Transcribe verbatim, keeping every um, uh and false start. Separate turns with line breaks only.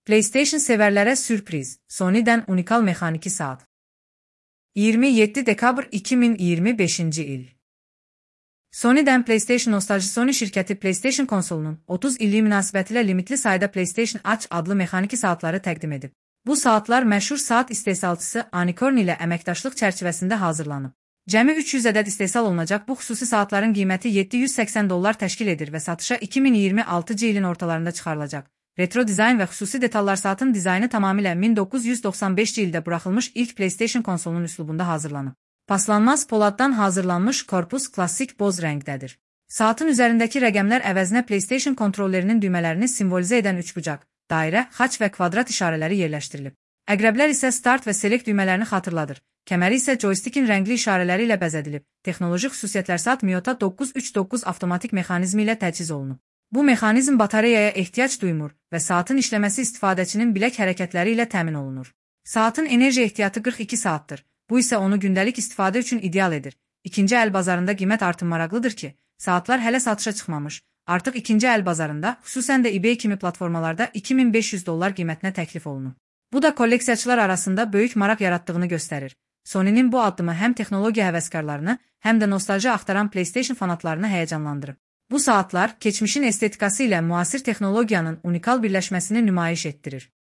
PlayStation sevərlərə sürpriz, Sony'dən unikal mexaniki saat. iyirmi yeddi dekabr iki min iyirmi beşinci il. Sony'dən PlayStation nostaljisi Sony şirkəti PlayStation konsolunun otuz illiyi münasibətilə limitli sayda PlayStation Watch adlı mexaniki saatları təqdim edib. Bu saatlar məşhur saat istehsalçısı Anycorn ilə əməkdaşlıq çərçivəsində hazırlanıb. Cəmi üç yüz ədəd istehsal olunacaq bu xüsusi saatların qiyməti yeddi yüz səksən dollar təşkil edir və satışa iki min iyirmi altıncı ilin ortalarında çıxarılacaq. Retro dizayn və xüsusi detallar saatın dizaynı tamamilə min doqquz yüz doxsan beşinci ildə buraxılmış ilk PlayStation konsolunun üslubunda hazırlanıb. Paslanmaz poladdan hazırlanmış korpus klassik boz rəngdədir. Saatın üzərindəki rəqəmlər əvəzinə PlayStation kontrollerinin düymələrini simvolizə edən üçbucaq, dairə, xaç və kvadrat işarələri yerləşdirilib. Əqrəblər isə start və select düymələrini xatırladır. Kəməri isə joystickin rəngli işarələri ilə bəzədilib. Texnoloji xüsusiyyətlər saat Miyota doqquz üç doqquz avtomatik mexanizmi ilə təchiz olunub. Bu mexanizm batareyaya ehtiyac duymur və saatın işləməsi istifadəçinin bilək hərəkətləri ilə təmin olunur. Saatın enerji ehtiyatı qırx iki saatdır. Bu isə onu gündəlik istifadə üçün ideal edir. İkinci əl bazarında qiymət artım maraqlıdır ki, saatlar hələ satışa çıxmamış. Artıq ikinci əl bazarında, xüsusən də eBay kimi platformalarda iki min beş yüz dollar qiymətinə təklif olunur. Bu da kolleksiyaçılar arasında böyük maraq yaratdığını göstərir. Sony'nin bu addımı həm texnologiya həvəskarlarını, həm də nostalji axtaran PlayStation fanatlarını həyəcanlandırıb. Bu saatlar, keçmişin estetikası ilə müasir texnologiyanın unikal birləşməsini nümayiş etdirir.